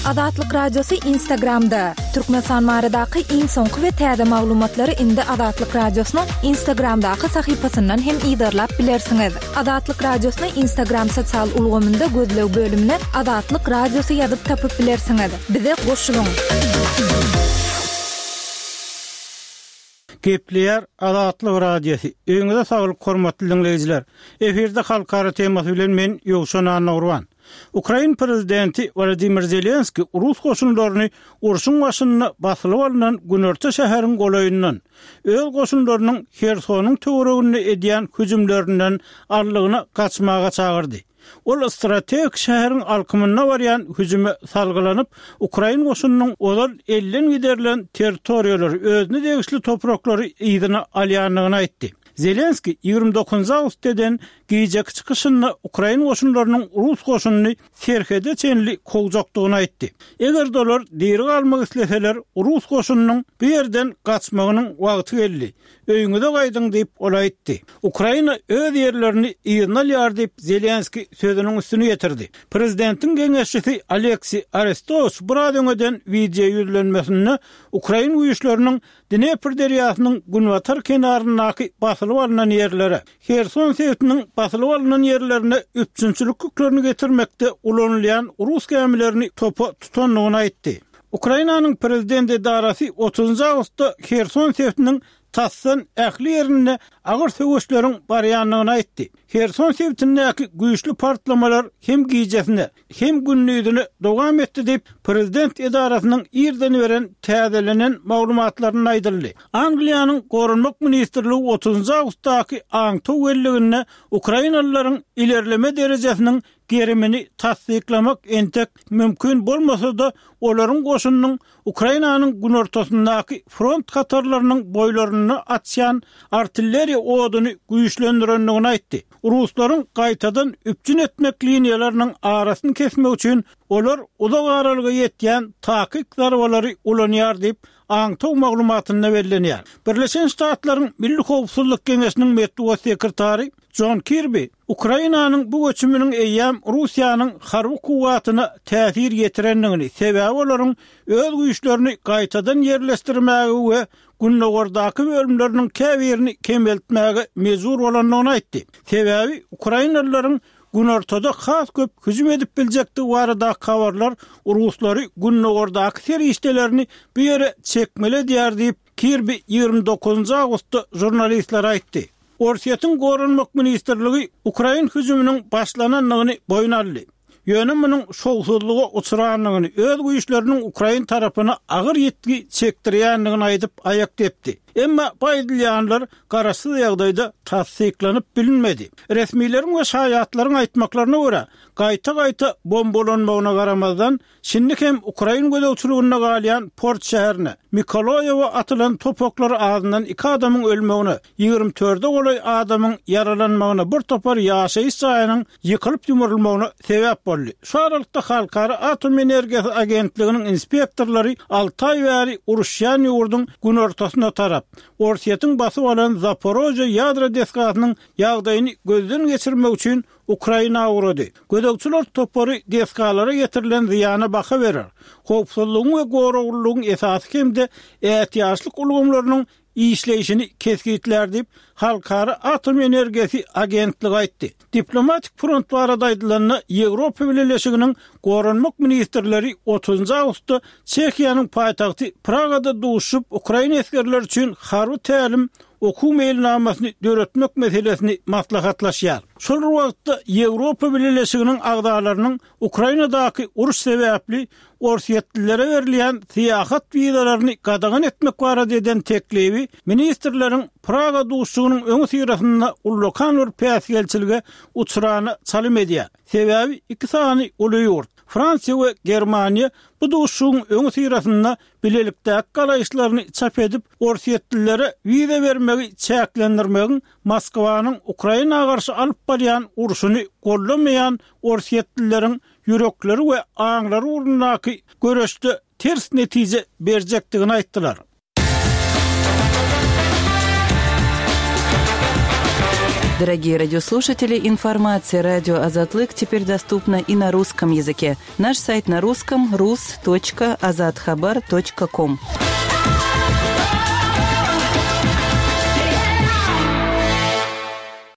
Azatlyk Radiosy Instagramda! Türkmenistan baradaky iň soňky we täze maglumatlary indi Azatlyk Radiosynyň Instagramdaky sahypasyndan hem yzarlap bilersiňiz. Azatlyk Radiosyny Instagram sosial ulgamynda gözleg bölümine Azatlyk Radiosy ýazyp tapyp bilersiňiz. Bize goşulyň! Gepleýär Azatlyk Radiosy. Öýüňize saglyk hormatly diňleýjiler. Efirde halkara temasy bilen men Ýowşan Annagurban. Ukrain prezidenti Wolodymyr Zelenskiý rus goşunlaryny urşuň başynda basylyp alnan günorta şäheriň golaýyndan, öz goşunlarynyň Hersonyň töwereginde edýän hüjümlerinden aldygyna gaçmaga çagyrdy. Ol strategik şäheriň alkymynda barýan hüjüme salgylanyp, ukrain goşunynyň ozal elden giderilen territoriýalary, özüne degişli topraklary yzyna alýandygyny aýtdy. Zelenskiý 29 awgustda eden gijeki çykyşynda ukrain goşunlarynyň rus goşunyny serhede çenli kowjakdygyny aýtdy. Eger-de olar diri galmak isleseler, rus goşunynyň bu ýerden gaçmagynyň wagty geldi. Öýüňize gaýdyň diýip, ol aýtdy. Ukraina öz ýerlerini yzyna alýar diýip, Zelenskiý sözüniň üstüni ýetirdi. Prezidentiň geňeşçisi Oleksiý Arestowiç biraz öň eden wideo ýüzlenmesinde ukrain güýçleriniň Dnepr derýasynyň günbatar kenaryndaky basylyp alnan ýerlere, Herson sebitiniň basylyp alnan ýerlerine üpjünçilik ýüklerini getirmekde ulanylýan rus gämilerini topa tutandygyny aýtdy. Ukrainanyň prezident edarasy otuzynjy awgustda Herson sebitiniň tasdan ähli ýerinde agyr söweşleriň barýandygyny aýtdy. Herson sebitindäki güýçli partlamalar hem gijesine, hem gündizine dowam etdi diýip, prezident edarasynyň irden beren täzelenen maglumatlarynda aýdyldy. Angliýanyň Goranmak ministrligi otuzynjy awgustdaky aňtaw belliginde ukrainalylaryň ilerleme derejesiniň gerimini tassyklamak entek mümkin bolmasa-da, olaryň goşunynyň Ukrainanyň günortasyndaky front hatarlarynyň boýlarynda açýan artilleriýa oduny güýçlendirendigini aýtdy. Ruslaryň gaýtadan üpjün etmek liniýalarynyň arasyny kesmek üçin olar uzak aralyga ýetýän takyk zarbalary ulanýar diýip, aňtaw maglumatynda bellenýär. Birleşen Ştatlaryň Milli howpsuzlyk geňeşiniň metbugat sekretary Jon Kirbi Ukrainanyň bu göçüminiň eýýäm Russiýanyň harby kuwwatyna täsir ýetirendigini, sebäbi olaryň öz güýçlerini gaýtadan ýerleşdirmäge we gündogardaky bölümleriniň käbirini kemeltmäge mejbur bolandygyny aýtdy. Sebäbi ukrainalylaryň günortada has köp hüjüm edip biljekdigi baradaky habarlar ruslary gündogardaky serişdelerini bu ýere çekmeli edýär diýip, Kirbi 29 awgustda žurnalistlere aýtdy. Orsýetiň Goranmak ministrligi ukrain hüjüminiň başlanandygyny boýun aldy. Ýöne munuň şowsuzlyga uçrandygyny, öz güýçleriniň ukrain tarapyna agyr ýitgi çekdirýändigini aýdyp aýak depdi. Emma bu aýdylýanlar garaşsyz ýagdaýda tassyklanyp bilinmedi. Resmileriň we şaýatlaryň aýtmaklaryna görä, gaýta-gaýta bombalanmagyna garamazdan, Şindi hem ukrain gözegçiliginde galýan port şäherine, Mikoloýewe atylan top oklary azyndan iki adamyň ölmegine, ýigrimi dörde golaý adamyň ýaralanmagyna, bir topar ýaşaýyş jaýynyň ýykylyp-ýumrulmagyna sebäp boldy. Şu aralykda Halkara atom energiýasy agentliginiň inspektorlary alty aý bäri uruşýan ýurduň günortasyna tarap, Orsýetiň basyp alan Zaporožýe ýadro desgasynyň ýagdaýyny gözden geçirmek üçin Ukraina ugrady. Gözegçiler topary desgalara ýetirilen zyýana baha berer, howpsuzlygyň we goraglylygyň esasy hem-de ätiýaçlyk ulgamlarynyň işleýşini kesgitlär diýip, Halkara atom energiýasy agentligi aýtdy. Diplomatik front barada aýdylanda, Ýewropa Bileleşiginiň goranmak ministrleri otuzynjy awgustda Çehiýanyň paýtagty Pragada duşuşyp, ukrain esgerleri üçin harby tälim okuw meýilnamasyny döretmek meselesini maslahatlaşýar. Şol bir wagtda, Ýewropa Bileleşiginiň agzalarynyň Ukrainadaky uruş sebäpli orsýetlilere berilýän syýahat wizalaryny gadagan etmek barada eden teklibi ministrleriň Praga duşuşygynyň öňüsyrasynda ullakan bir päsgelçilige uçrana çalym edýär. Sebäbi iki sany uly ýurt, Fransiýa we Germaniýa bu duşuşygyň öňüsyrasynda bilelikdäki garaýyşlaryny çap edip, orsýetlilere wiza bermegi çäklendirmegiň Moskwanyň Ukraina garşy alyp barýan urşuny goldamaýan orsýetlileriň ýürekleri we aňlary ugrundaky göreşde ters netije berjekdigini aýtdylar. Дорогие радиослушатели, информация радио Азатлык теперь доступна и на русском языке. Наш сайт на русском rus.azathabar.com.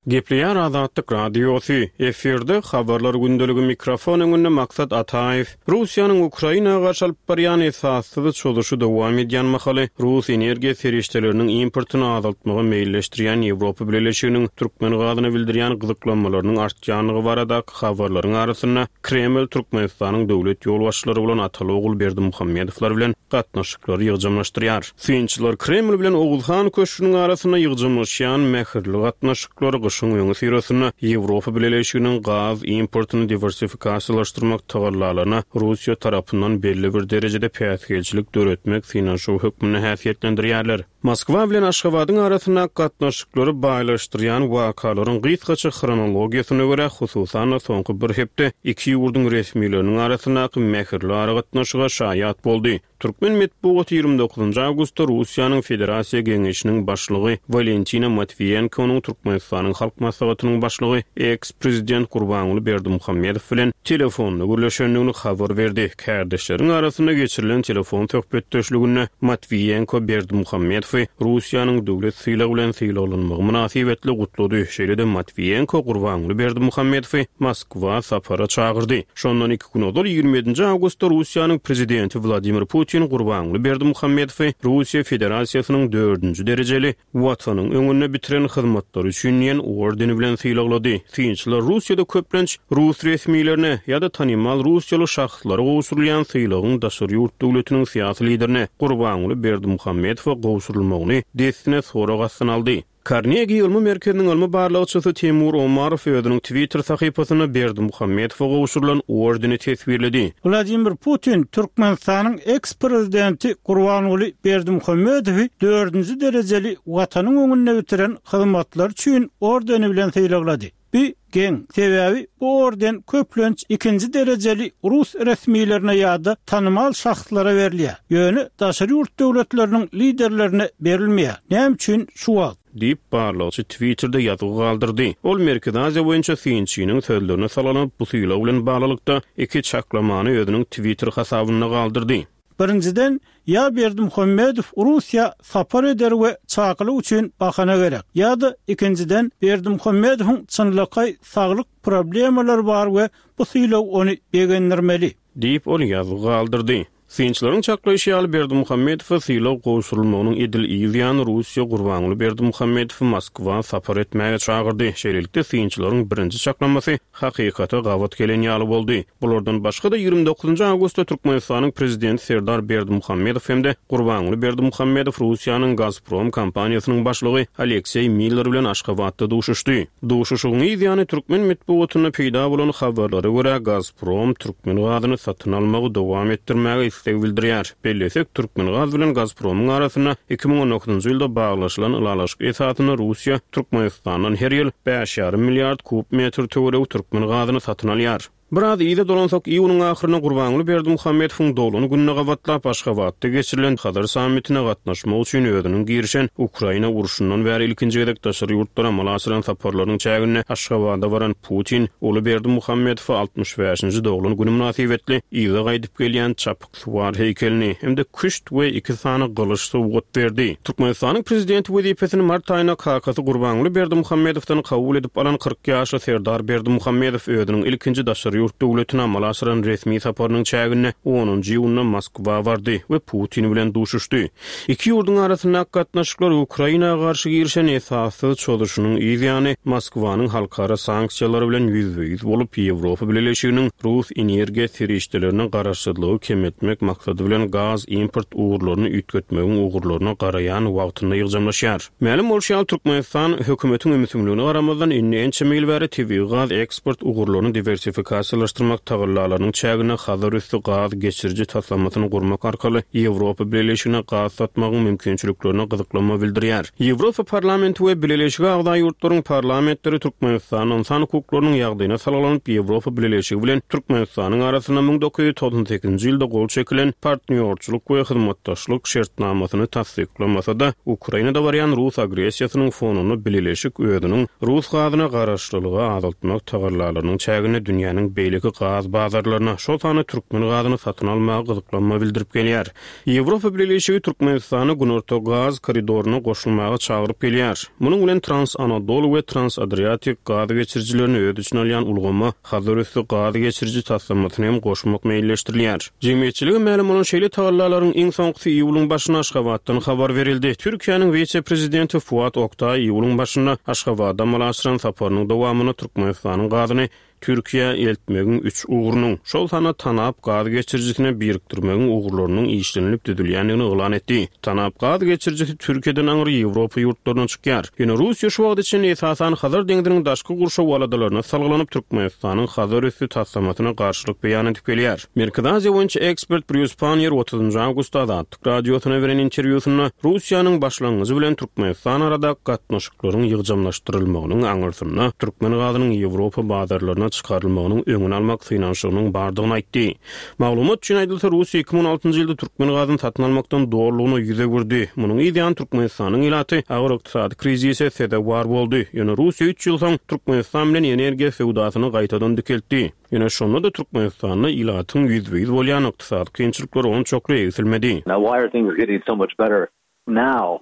Gepleýär Azatlyk Radiosy, efirde Habarlar gündeligi mikrofon öňünde Maksat Ataýew. Russiýanyň Ukraina garşy alyp barýan esassyz çozuşy dowam edýän mahaly, rus energiýa serişdeleriniň importyny azaltmagy meýilleşdirýän Ýewropa Bileleşiginiň türkmen gazyna bildirýän gyzyklanmalarynyň artýandygy baradaky habarlaryň arasynda, Kreml Türkmenistanyň döwlet ýolbaşçylary bolan ataly-ogul Berdimuhamedowlar bilen gatnaşyklary ýygjamlaşdyrýar. Synçylar Kreml bilen Oguzhan köşgüniň arasynda ýygjamlaşýan mähirli gatnaşyklary gyşyň öňüsyrasynda Ýewropa Bileleşiginiň gaz importyny diwersifikasiýalaşdyrmak tagallalaryna Russiýa tarapyndan belli bir derejede päsgelçilik döretmek synanyşygy hökmünde häsiýetlendirýärler. Moskwa bilen Aşgabadyň arasyndaky gatnaşyklary baýlaşdyrýan wakalaryň gysgaça hronologiýasyna görä, hususan-da soňky bir hepde iki ýurduň resmileriniň arasyndaky mähirli aragatnaşyga şaýat boldy. Türkmen metbugaty 29 awgustda Russiýanyň Federasiýa Geňeşiniň Başlygy Walentina Matwiýenkonyň Türkmenistanyň Halk Maslahatynyň Başlygy, eks-prezident Gurbanguly Berdimuhamedow bilen telefonda gürleşendigini habar berdi. Kärdeşleriň arasynda geçirilen telefon söhbetdeşliginde Matwiýenko Berdimuhamedowy Russiýanyň döwlet sylagy bilen sylaglanmagy mynasybetli gutlady. Şeýle-de Matwiýenko Gurbanguly Berdimuhamedowy Moskwa sapara çagyrdy. Şondan gün ozal, 27-nji awgustda Russiýanyň Prezidenti Wladimir Putin Gurbanguly Berdimuhamedowy Russiýa Federasiýasynyň dördünji derejeli Watanyň öňünde bitiren hyzmatlary üçin diýen ordeni bilen sylaglady. Synçylar Russiýada köplenç rus resmilerine ýa-da tanymal russiýaly şahslara gowşurylýan sylagyň daşary ýurt döwletiniň syýasy liderine Gurbanguly Berdimuhamedowa gowşurylmagyny dessine sorag astyna aldy. Karnegi ylmy merkeziniň ylmy barlagçysy Temur Omarow özüniň Twitter sahypasynda Berdimuhamedowa gowşurylan ordeni teswirledi. Wladimir Putin Türkmenistanyň eks-prezidenti Gurbanguly Berdimuhamedowy dördünji derejeli Watanyň öňünde bitiren hyzmatlary üçin ordeni bilen sylaglady. Bu geň, sebäbi bu orden köplenç ikinji derejeli rus resmilerine ýa-da tanymal şahslara berilýär, ýöne daşary ýurt döwletleriniň liderlerine berilmeýär. Näme üçin şu wagt? Diýip, barlagçy Twitterde ýazgy galdyrdy. Ol Merkezi Aziýa boýunça synçynyň sözlerine salgylanyp, bu sylag bilen baglylykda iki çaklamany özüniň Twitter hasabynda galdyrdy. Birinjiden, ýa Berdimuhamedow Russiýa sapar eder we çakylyk üçin bahana gerek, ýa-da ikinjiden, Berdimuhamedowyň çynlakaý saglyk problemalary bar we bu sylag ony begendirmeli. Diýip, ol ýazgy galdyrdy. Synçylaryň çaklaýşy ýaly, Berdimuhamedowa sylag gowşurylmagynyň edil yz ýany Russiýa Gurbanguly Berdimuhamedowy Moskwa sapar etmäge çagyrdy. Şeýlelikde, synçylaryň birinji çaklamasy hakykata gabat gelen ýaly boldy. Bulardan başga-da, 29 awgustda Türkmenistanyň Prezidenti Serdar Berdimuhamedow hem-de Gurbanguly Berdimuhamedow Russiýanyň Gazprom kompaniýasynyň başlygy Alekseý Miller bilen Aşgabatda duşuşdy. Duşuşygyň yz ýany türkmen metbugatynda peýda bolan habarlara görä, Gazprom türkmen gazyny satyn almagy dowam etdirmäge isleg bildirýär. Bellesek, Türkmengaz bilen Gazpromyň arasynda 2019-njy ýylda baglaşylan ylalaşyk esasynda Russiýa Türkmenistandan her ýyl bäş ýarym milliard kub metr töweregi türkmen gazyny satyn alýar. Biraz yza dolansak, iýunyň ahyrynda Gurbanguly Berdimuhamedowyň doglan gününe gabatlap Aşgabatda geçirilen Hazar sammitine gatnaşmak üçin özüniň girişen Ukraina urşundan bäri ilkinji gezek daşary ýurtlara amala aşyran saparlarynyň çäginde Aşgabada baran Putin uly Berdimuhamedowa 65-nji doglan güni mynasybetli yza gaýdyp gelýän çapyk Suwar heýkelini hem-de küşt we iki sany gylyç sowgat berdi. Türkmenistanyň Prezidenti wezipesini mart aýynda kakasy Gurbanguly Berdimuhamedowdan kabul edip alan 40 ýaşly Serdar Berdimuhamedow özüniň ilkinji daşary ýurt döwletine amala aşyran resmi saparynyň çäginde onunjy iýunda Moskwa bardy we Putin bilen duşuşdy. Iki ýurduň arasyndaky gatnaşyklar Ukraina garşy girişen esassyz çozuşynyň yz ýany Moskwanyň halkara sanksiýalary bilen ýüzbe-ýüz bolup, Ýewropa Bileleşiginiň rus energiýa serişdelerine garaşsyzlygy kemeltmek maksady bilen gaz import ugurlaryny üýtgetmegiň ugurlaryna garaýan wagtynda ýygjamlaşýar. Mälim bolşy ýaly, Türkmenistan, hökümetiň ümsümligine garamazdan, indi ençeme ýyl bäri tebigy gaz eksport ugurlaryny diwersifikasiýa. integrasiýalaşdyrmak tagallalarynyň çäginde Hazar üsti gaz geçiriji taslamasyny gurmak arkaly Ýewropa Bileleşigine gaz satmagyň mümkinçiliklerine gyzyklanma bildirýär. Ýewropa Parlamenti we Bileleşige agza ýurtlaryň parlamentleri Türkmenistanda ynsan hukuklarynyň ýagdaýyna salgylanyp, Ýewropa Bileleşigi bilen Türkmenistanyň arasynda 1998-nji ýylda gol çekilen Partnýorçylyk we hyzmatdaşlyk şertnamasyny tassyklamasa-da, Ukrainada barýan rus agressiýasynyň fonunda Bileleşik özüniň rus gazyna garaşlylygy azaltmak tagallalarynyň çäginde dünýäniň beýleki gaz bazarlaryna, şol sanda türkmen gazyny satyn almaga gyzyklanma bildirip gelýär. Ýewropa Bileleşigi Türkmenistany Günorta gaz koridoryna goşulmaga çagyryp gelýär. Munuň bilen Trans-Anadolu we Trans-Adriatik gaz geçirijilerini öz içine alýan ulgama Hazarüsti gaz geçiriji taslamasyny hem goşmak meýilleşdirilýär. Jemgyýetçilige mälim bolan şeýle tagallalaryň iň soňkusy iýulyň başynda Aşgabatdan habar berildi. Türkiýäniň wise-prezidenti Fuat Oktaý iýulyň başynda Aşgabada amala aşyran saparynyň dowamynda Türkmenistanyň gazyny Türkiýä eltmegiň üç ugrunyň, şol sanda TANAP gaz geçirijisine birikdirmegiň ugurlarynyň işlenilip düzülýändigini yglan etdi. TANAP gaz geçirijisi Türkiýeden aňry Ýewropa ýurtlaryna çykýar. Ýöne Russiýa şu wagta çenli esasan Hazar deňziniň daşky gurşaw aladalaryna salgylanyp Türkmenistanyň Hazar üsti taslamasyna garşylyk beýan edip gelýär. Merkezi Aziýa boýunça ekspert Brýus Panniýer otuzynjy awgustda Azatlyk Radiosyna beren interwýusynda Russiýanyň başlangyjy bilen Türkmenistan aradaky gatnaşyklaryň ýygjamlaşdyrylmagynyň aňyrsynda türkmen gazynyň Ýewropa bazarlaryna çykarylmagynyň öňüni almak synanyşygynyň bardygyny aýtdy. Maglumat üçin aýdylsa, Russiýa 2016-njy ýylda türkmen gazyny satyn almakdan dolulygyna ýüz öwürdi. Munuň yz ýany Türkmenistanyň ilaty agyr ykdysady krizise sezewar boldy. Ýöne Russiýa üç ýyl soň Türkmenistan bilen energiýa söwdasyny gaýtadan dikeltdi. Ýöne şonda-da Türkmenistanda ilatyň ýüzbe-ýüz bolýan ykdysady kynçylyklary onçakly egsilmedi. Now why are things getting so much better now?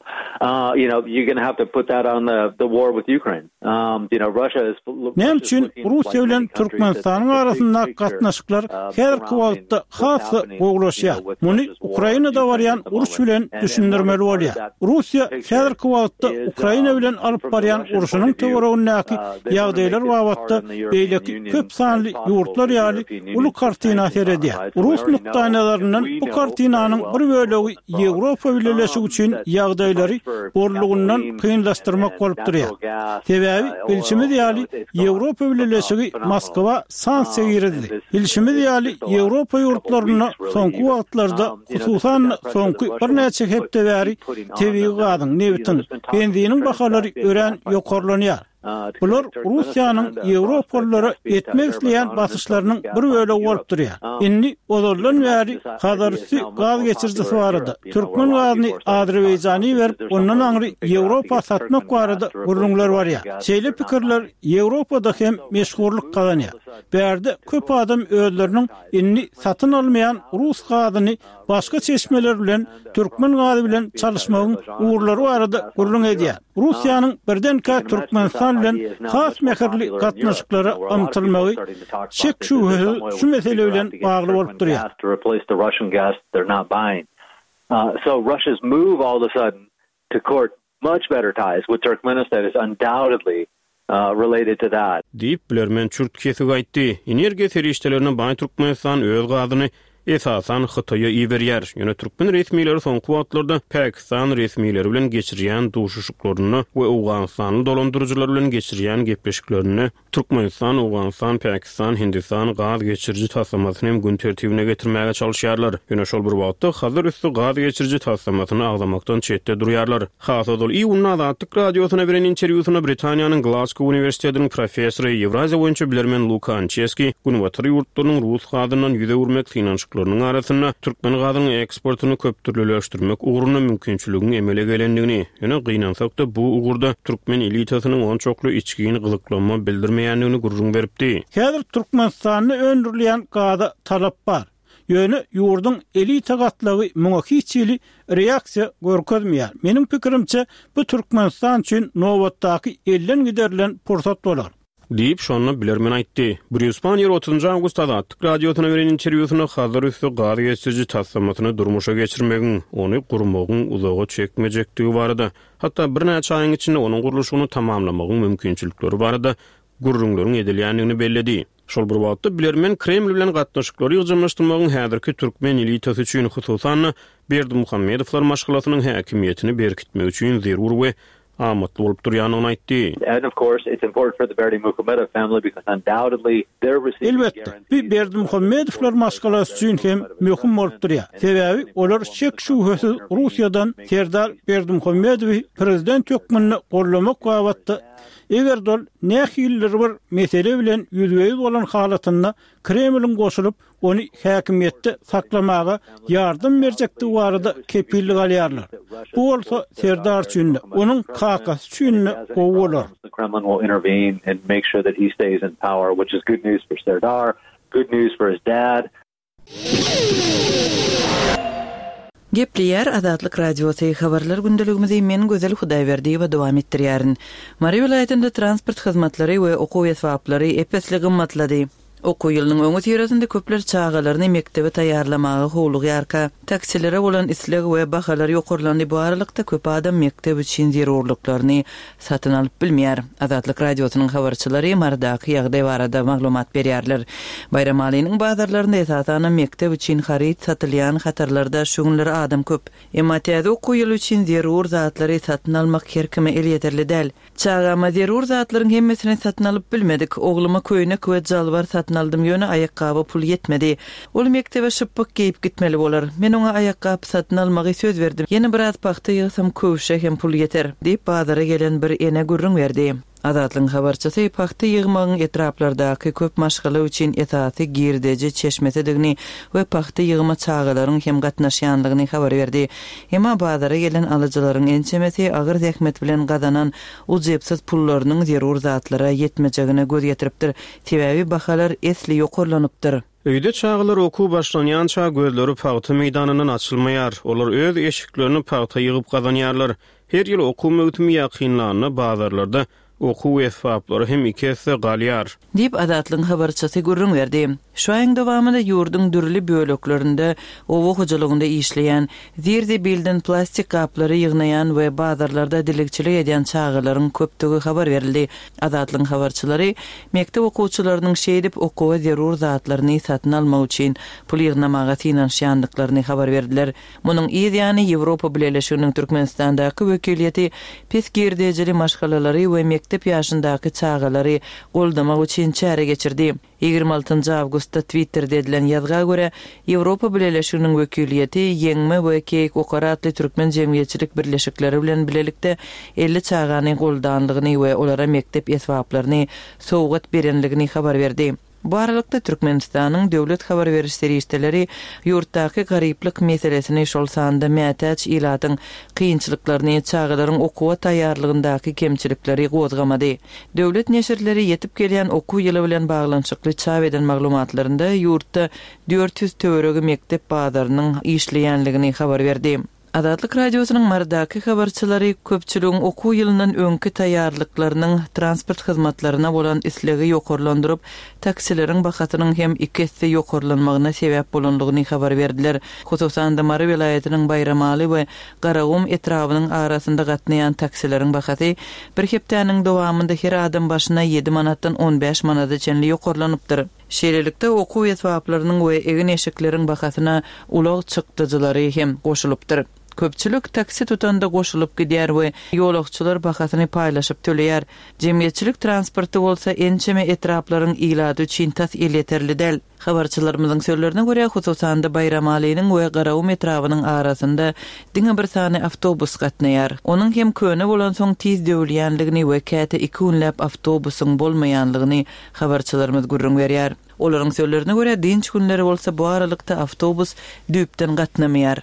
You know, you're gonna have to put that on the the war with Ukraine. You know, Russia is Näme üçin Russiýa bilen Türkmenistanyň arasyndaky gatnaşyklar häzirki wagtda has-da gowulaşýar? Muny Ukrainada barýan uruş bilen düşündirmeli bolýar. Russiýa häzirki wagtda Ukraina bilen alyp barýan urşunyň töweregindäki ýagdaýlar babatda beýleki köp sanly ýurtlar ýaly uly kartina seredýär. Rus nukdaýnazaryndan bu kartinanyň bir bölegi Ýewropa Bileleşigi üçin ýagdaýlary bollugyndan kynlaşdyrmak bolup durýar. Sebäbi, bilşimiz ýaly, Ýewropa Bileleşigi Moskwa sanksiýa girizdi. Bilşimiz ýaly, Ýewropa ýurtlarynda soňky wagtlarda, hususan-da, soňky birnäçe hepde bäri tebigy gazyň, nebitiň, benziniň bahalary örän ýokarlanýar. Bular Russiýanyň ýewropalylara etmek isleýän basyşlarynyň bir bölegi bolup durýar. Indi ozaldan bäri Hazarüsti gaz geçirijisi barada, türkmen gazyny Azerbaýjana iberip, ondan aňry Ýewropa satmak barada gürrüňler barýar. Şeýle pikirler Ýewropada hem meşhurlyk gazanýar. Bärde köp adam özleriniň indi satyn almaýan rus gazyny başga çeşmeler bilen türkmen gazy bilen çalyşmagyň ugurlary barada gürrüň edýär. Russiýanyň birdenkä Türkmenistan bilen has mähirli gatnaşyklara ymtylmagy şek-şübhesiz şu mesele bilen bagly bolup durýar. Much better ties with Turkmenistan is undoubtedly related to that. Diýip, bilermen çürt-kesik aýtdy. Energiýa serişdelerine baý Türkmenistan öz gazyny, esasan, Hytaýa iberýär. Ýöne türkmen resmileri soňky wagtlarda Pakistan resmileri bilen geçirýän duşuşyklarynda we owganystanly dolandyryjylar bilen geçirýän gepleşiklerinde Türkmenistan, Owganystan, Pakistan, Hindistan gaz geçiriji taslamasyny hem gün tertibine getirmäge çalyşýarlar. Ýöne şol bir wagtda Hazar üsti gaz geçiriji taslamasyny agzamakdan çetde durýarlar. Has ozal iýunda Azatlyk Radiosyna beren interwýusynda Britaniýanyň Glasgow uniwersitetiniň professory, Ýewraziýa boýunça bilermen Luka Ançeski Günbatar ýurtlarynyň rus gazyndan ýüz öwürmek synanyşyklarynyň arasynda türkmen gazynyň eksportyny köpdürlüleşdirmek ugrunda mümkinçiligiň emele gelendigini, Ýöne gynansak-da, bu ugurda türkmen elitasynyň onçakly içgin gyzyklanma bildirmeýändigini gürrüň beripdi. Häzir Türkmenistanda öndürilýän gaza talap bar. Ýöne ýurduň elita gatlagy muňa hiç hili reaksiýa görkezmeýär. Meniň pikirimçe, bu Türkmenistan üçin nobatdaky elden giderilen pursat bolar. Diýip, şonda bilermen aýtdy. Brýus Panniýer otuzynjy awgustda Azatlyk Radiosyna beren interwýusynda Hazar üsti gaz geçiriji taslamasyny durmuşa geçirmegiň, ony gurmagyň uzaga çekmejekdigi barada, hatda birnäçe aýyň içinde onuň gurluşygyny tamamlamagyň mümkinçilikleri barada gürrüňleriň edilýändigini belledi. Şol bir wagtda, bilermen Kreml bilen gatnaşyklary ýygjamlaşdyrmagyň häzirki türkmen elitasy üçin, hususan-da, Berdimuhamedowlar maşgalasynyň häkimiýetini berkitmek üçin zerur we. amatly bolup durýandygyny aýtdy. Elbetde, bu Berdimuhamedowlar maşgalasy üçin hem möhüm bolup durýar. Sebäbi olar şek-şübhesiz Russiýadan Serdar Berdimuhamedowy prezident hökmünde goldamak babatda, eger-de ol nähilidir bir mesele bilen ýüzbe-ýüz bolan halatynda Kremliň goşulyp, ony häkimiýetde saklamaga ýardam berjekdigi barada kepillik alýarlar. Bu bolsa Serdar üçin-de, onuň kakasy üçin-de gowy bolar. Gepleýär Azatlyk Radiosy, Habarlar gündeligimizi men Gözel Hudaýberdiýewa dowam etdirýärin. Mary welaýatynda transport hyzmatlary we okuw esbaplary ep-esli gymmatlady. Okuw ýylynyň öňüsyrasynda köpler çagalaryny mekdebe taýýarlamaga howlugýarka, taksilere bolan isleg we bahalar ýokarlandy, bu aralykda köp adam mekdep üçin zerurlyklaryny satyn alyp bilmeýär. Azatlyk Radiosynyň habarçylary Marydaky ýagdaý barada maglumat berýärler. Baýramalynyň bazarlarynda esasanam mekdep üçin haryt satylýan hatarlarda şu günler adam köp. Emma täze okuw ýyly üçin zerur zatlary satyn almak her kime elýeterli däl. Çagama zerur zatlaryň hemmesini satyn alyp bilmedik. Ogluma köýnek we jalbar satyn aldym, ýöne aýakgaba pul ýetmedi. Ol mekdebe şypbyk geýip gitmeli bolar. Men oňa aýakgap satyn almagy söz berdim. Ýene biraz pagta ýygsam, köwşe hem pul ýeter, diýip, bazara gelen bir ene gürrüň berdi. Azatlygyň habarçysy pagta ýygmagyň etraplardaky köp maşgala üçin esasy girdeji çeşmesidigini we pagta ýygyma çagalaryň hem gatnaşýanlygyny habar berdi. Emma bazara gelen alyjylaryň ençemesi agyr zähmet bilen gazanan ujypsyz pullarynyň zerur zatlara ýetmejegine göz ýetiripdir. Sebäbi bahalar esli ýokarlanypdyr. Öýde çagalar okuw başlanýança gözleri pagta meýdanyndan açylmaýar. Olar öz eşiklerini pagta ýygyp gazanýarlar. Her ýyl okuw möwsümi ýakynlanda bazarlarda okuw esbaplary hem iki esse galýar. Diýip, Azatlygyň habarçysy gürrüň berdi. Şu aýyň dowamynda ýurduň dürli böleklerinde oba hojalygynda işleýän, zir-zibilden plastik gaplary ýygnaýan we bazarlarda dilegçilik edýän çagalaryň köpdügi habar berildi. Azatlygyň habarçylary mekdep okuwçylarynyň şeýdip okuwa zerur zatlaryny satyn almak üçin pul ýygnamaga synanyşýandyklaryny habar berdiler. Munuň yz ýany, Ýewropa Bileleşiginiň Türkmenistandaky wekiliýeti pes girdejili maşgalalary we mekdep ýaşyndaky çagalary goldamak üçin çäre geçirdi. 26 awgustda Twitterde edilen ýazga görä, Ýewropa Bileleşiginiň wekiliýeti Ýeňme we Keýik okar atly türkmen jemgyýetçilik birleşikleri bilen bilelikde 50 çagany goldanlygyny we olara mekdep esbaplaryny sowgat berenligini habar berdi. Bu aralykda, Türkmenistanyň döwlet habar beriş serişdeleri ýurtdaky garyplyk meselesini, şol sanda mätäç ilatyň kynçylyklaryny, çagalaryň okuwa taýýarlygyndaky kemçilikleri gozgamady. Döwlet neşirleri ýetip gelýän okuw ýyly bilen baglanyşykly çap eden maglumatlarynda ýurtda 400 töweregi mekdep bazarynyň işleýänligini habar berdi. Azatlyk Radiosynyň Marydaky habarçylary köpçüligiň okuw ýylyndan öňki taýýarlyklarynyň transport hyzmatlaryna bolan islegi ýokarlandyryp, taksileriň bahasynyň hem iki esse ýokarlanmagyna sebäp bolandygyny habar berdiler. Hususan-da, Mary welaýatynyň Baýramaly we Garagum etrabynyň arasynda gatnaýan taksileriň bahasy bir hepdäniň dowamynda her adam başyna ýedi manatdan on bäş manada çenli ýokarlanypdyr. Şeýlelikde, okuw esbaplarynyň we egin-eşikleriň bahasyna ulag çykdajylary hem goşulypdyr. Köpçülik taksi tutanda goşulyp gidýär we ýolagçylar bahasyny paýlaşyp töleýär. Jemgyýetçilik transporty bolsa ençeme etraplaryň ilaty üçin tas elýeterli däl. Habarçylarymyzyň sözlerine görä, hususan-da Baýramalynyň we Garagum etrabynyň arasynda diňe bir sany awtobus gatnaýar. Onuň hem köne bolansoň tiz döwülýänligini we käte iki günläp awtobusyň bolmaýanlygyny habarçylarymyz gürrüň berýär. Olaryň sözlerine görä, dynç günleri bolsa bu aralykda awtobus düýpden gatnamaýar.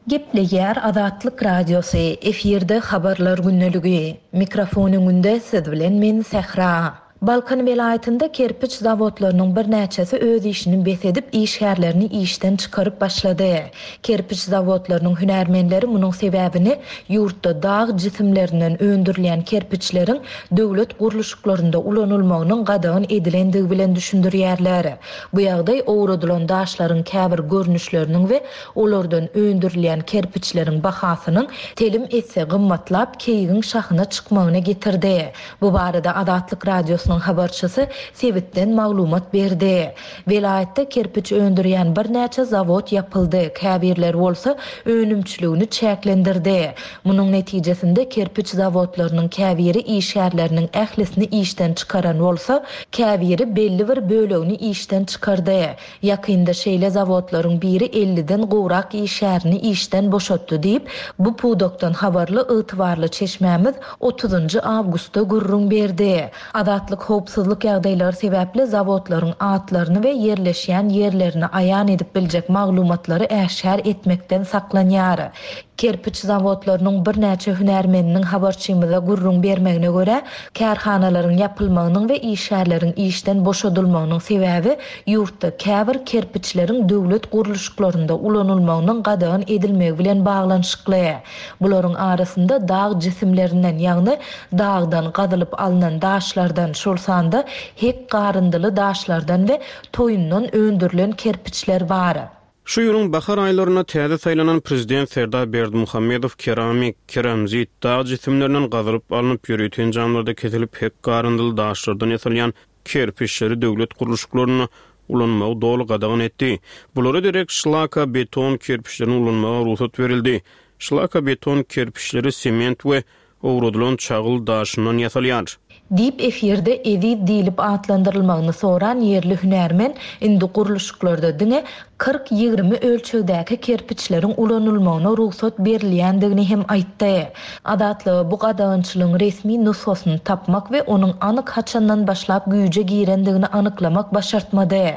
Gepleýär Azatlyk Radiosy, efirde Habarlar gündeligi. Mikrofon öňünde siz bilen men Sähra. Balkan welaýatynda kerpiç zawodlarynyň birnäçesi öz işini bes edip, işgärlerini işden çykaryp başlady. Kerpiç zawodlarynyň hünärmenleri munuň sebäbini ýurtda dag jisimlerinden öndürilýän kerpiçleriň döwlet gurluşyklarynda ulanylmagynyň gadagan edilendigi bilen düşündirýärler. Bu ýagdaý owradylan daşlaryň käbir görnüşleriniň we olardan öndürilýän kerpiçleriň bahasynyň telim esse gymmatlap, keýigiň şahyna çykmagyna getirdi. Bu barada Azatlyk Radiosynyň. Radiosynyň habarçysy sebitden maglumat berdi. Welaýatda kerpiç öndürýän birnäçe zawod ýapyldy, käbirleri bolsa önümçiligini çäklendirdi. Munuň netijesinde kerpiç zawodlarynyň käbiri işgärleriniň ählisini işden çykaran bolsa, käbiri belli bir bölegini işden çykardy. Ýakynda şeýle zawodlaryň biri elliden gowrak işgärini işden boşatdy diýip, bu pudakdan habarly ygtybarly çeşmämiz otuzynjy awgustda gürrüň berdi. Azatlyk howpsuzlyk ýagdaýlary sebäpli zawodlaryň atlaryny we ýerleşýän ýerlerini aýan edip biljek maglumatlary äşgär etmekden saklanýar. Kerpiç zawodlarynyň birnäçe hünärmeniniň habarçymyza gürrüň bermegine görä, kärhanalaryň ýapylmagynyň we işgärleriň işden boşadylmagynyň sebäbi ýurtda käbir kerpiçleriň döwlet gurluşyklarynda ulanylmagynyň gadagan edilmegi bilen baglanyşykly. Bularyň arasynda dag jisimlerinden, ýagny dagdan gazylyp alnan daşlardan, şol sanda hek garyndyly daşlardan we toýundan öndürilen kerpiçler bar. Şu ýylyň bahar aýlarynda täze saýlanan prezident Serdar Berdimuhamedow keramik, keramzit, dag jisimlerinden gazylyp alnyp, ýörite enjamlarda kesilip, hek garyndyly daşlardan ýasalýan kerpiçleri döwlet gurluşyklarynda ulanmagy doly gadagan etdi. Bulara derek şlaka beton kerpiçlerini ulanmaga rugsat berildi. Şlaka beton kerpiçleri sement we owradylan çagyl daşyndan ýasalýar. Diýip, efirde Eziz diýlip atlandyrylmagyny soran ýerli hünärmen indi gurluşyklarda diňe 40, 20 ölçegdäki kerpiçleriň ulanylmagyna rugsat berilýändigini hem aýtdy. Azatlyga bu gadagançylygyň resmi nusgasyny tapmak we onuň anyk haçandan başlap güýje girendigini anyklamak başartmady.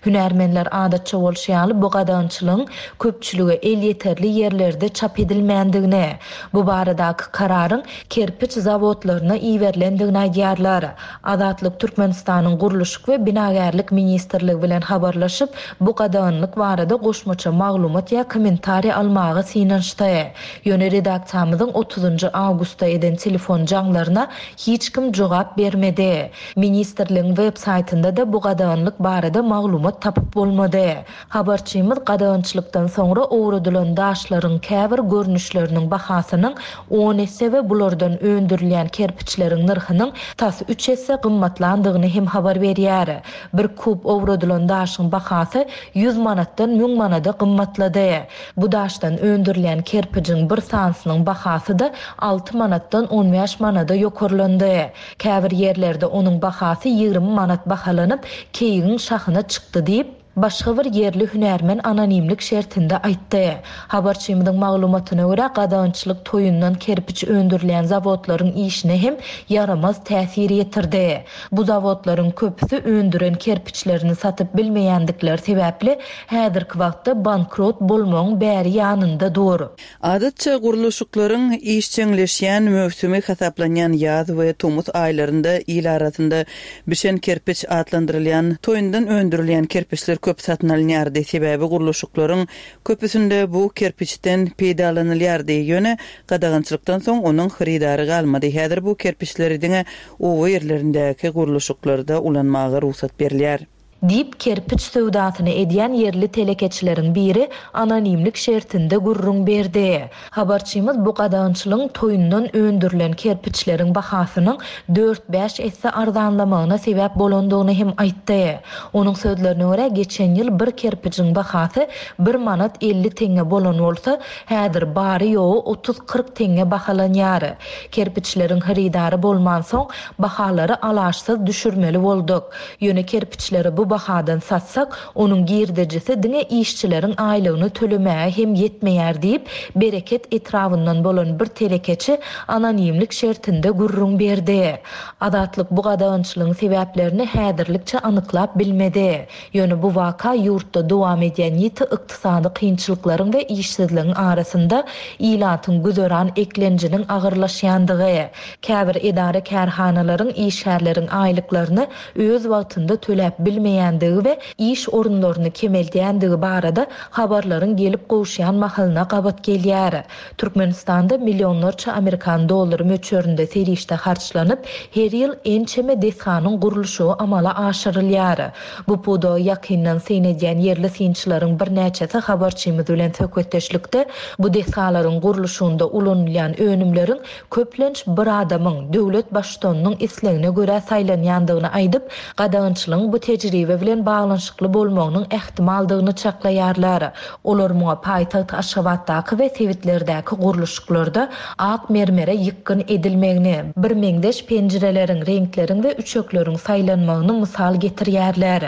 Hünärmenler adatça bolşy ýaly bu gadagançylygyň köpçülige elýeterli ýerlerde çap edilmändigini, bu baradaky kararyň kerpiç zawodlaryna iberilendigini aýdýarlar. Azatlyk Türkmenistanyň Gurluşyk we binagärlik ministrligi bilen habarlaşyp, bu gadaganlyk barada goşmaça maglumat ýa kommentariý almaga synanyşdy. Ýöne redaksiýamyzyň otuzynjy awgustda eden telefon jaňlaryna hiç kim jogap bermedi. Ministrligiň web saýtynda-da bu gadaganlyk barada maglumat tapyp bolmady. Habarçymyz gadagançylykdan soňra owradylan daşlaryň käbir görnüşleriniň bahasynyň on esse we bulardan öndürilýän kerpiçleriň nyrhynyň tas üç esse gymmatlandygyny hem habar berýär. Bir kub owradylan daşyň bahasy ýüz manatdan müň manada gymmatlady. Bu daşdan öndürilýän kerpijiň bir sanysynyň bahasy-da alty manatdan on bäş manada ýokarlandy. Käbir ýerlerde onuň bahasy 20 manat bahalanyp, keýigiň şahyna çykdy diýip, başga bir ýerli hünärmen anonimlik şertinde aýtdy. Habarçymyzyň maglumatyna görä, gadagançylyk toýundan kerpiç öndürilýän zawodlaryň işine hem ýaramaz täsir ýetirdi. Bu zawodlaryň köpüsi öndüren kerpiçlerini satyp bilmeýändikleri sebäpli, häzirki wagtda bankrot bolmagyň bäri ýanynda dur. Adatça, gurluşyklaryň işjeňleşýän möwsümi hasaplanýan ýaz we tomus aýlarynda il arasynda bişen kerpiç atlandyrylýan toýundan öndürilýän kerpiçler köp satyn alynýardy, sebäbi gurluşyklaryň köpüsinde bu kerpiçden peýdalanylýardy. Ýöne gadagançylykdan soň onuň hyrydary galmady. Häzir bu kerpiçleri diňe oba ýerlerindäki gurluşyklarda ulanmaga rugsat berilýär. Diýip, kerpiç söwdasyny edýän ýerli telekeçileriň biri anonimlik şertinde gürrüň berdi. Habarçymyz bu gadagançylygyň toýundan öndürilen kerpiçleriň bahasynyň dört-bäş esse arzanlamagyna sebäp bolandygyny hem aýtdy. Onuň sözlerine görä, geçen ýyl bir kerpijiň bahasy bir manat 50 teňňe bolan bolsa, häzir bary-ýogy otuz-kyrk teňňe bahalanýar. Kerpiçleriň hyrydary bolmansoň, bahalary alaçsyz düşürmeli bolduk. Ýöne kerpiçleri bu bahadan satsak, onuň girdejisi diňe işçileriň aýlygyny tölemäge hem ýetmeýär diýip, Bereket etrabyndan bolan bir telekeçi anonimlik şertinde gürrüň berdi. Azatlyk bu gadagançylygyň sebäplerini häzirlikçe anyklap bilmedi. Ýöne bu waka ýurtda dowam edýän ýiti ykdysady kynçylyklaryň we işsizligiň arasynda ilatyň güzeran eklenjiniň agyrlaşýandygy, käbir edara-kärhanalaryň işgärleriň aýlyklaryny öz wagtynda töläp bilmeýändigini. etmeýändigi we iş orunlaryny kemeldýändigi barada habarlaryň gelip gowuşýan mahalyna gabat gelýär. Türkmenistanda millionlarça amerikan dollary möçberinde serişde harçlanyp, her ýyl ençeme desganyň gurluşygy amala aşyrylýar. Bu pudaga ýakyndan syn edýän ýerli synçylaryň birnäçesi habarçymyz bilen söhbetdeşlikde bu desgalaryň gurluşygynda ulanylýan önümleriň köplenç bir adamyň, döwlet baştutanynyň islegine görä saýlanýandygyny aýdyp, gadagançylygyň bu tejribe bilen baglanyşykly bolmagynyň ähtimaldygyny çaklaýarlar. Olar muňa paýtagt Aşgabatdaky we sebitlerdäki gurluşyklarda ak mermere ýykgyn edilmegini, birmeňzeş penjireleriň, reňkleriň we üçekleriň saýlanmagyny mysal getirýärler.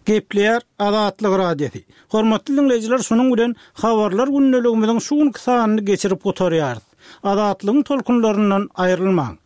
Gepleýär Azatlyk Radiosy. Hormatly diňleýjiler şunuň bilen Habarlar gündeligimiziň şu günki sanyny geçirip gutarýarys. Azatlygyň tolkunlaryndan aýrylmaň.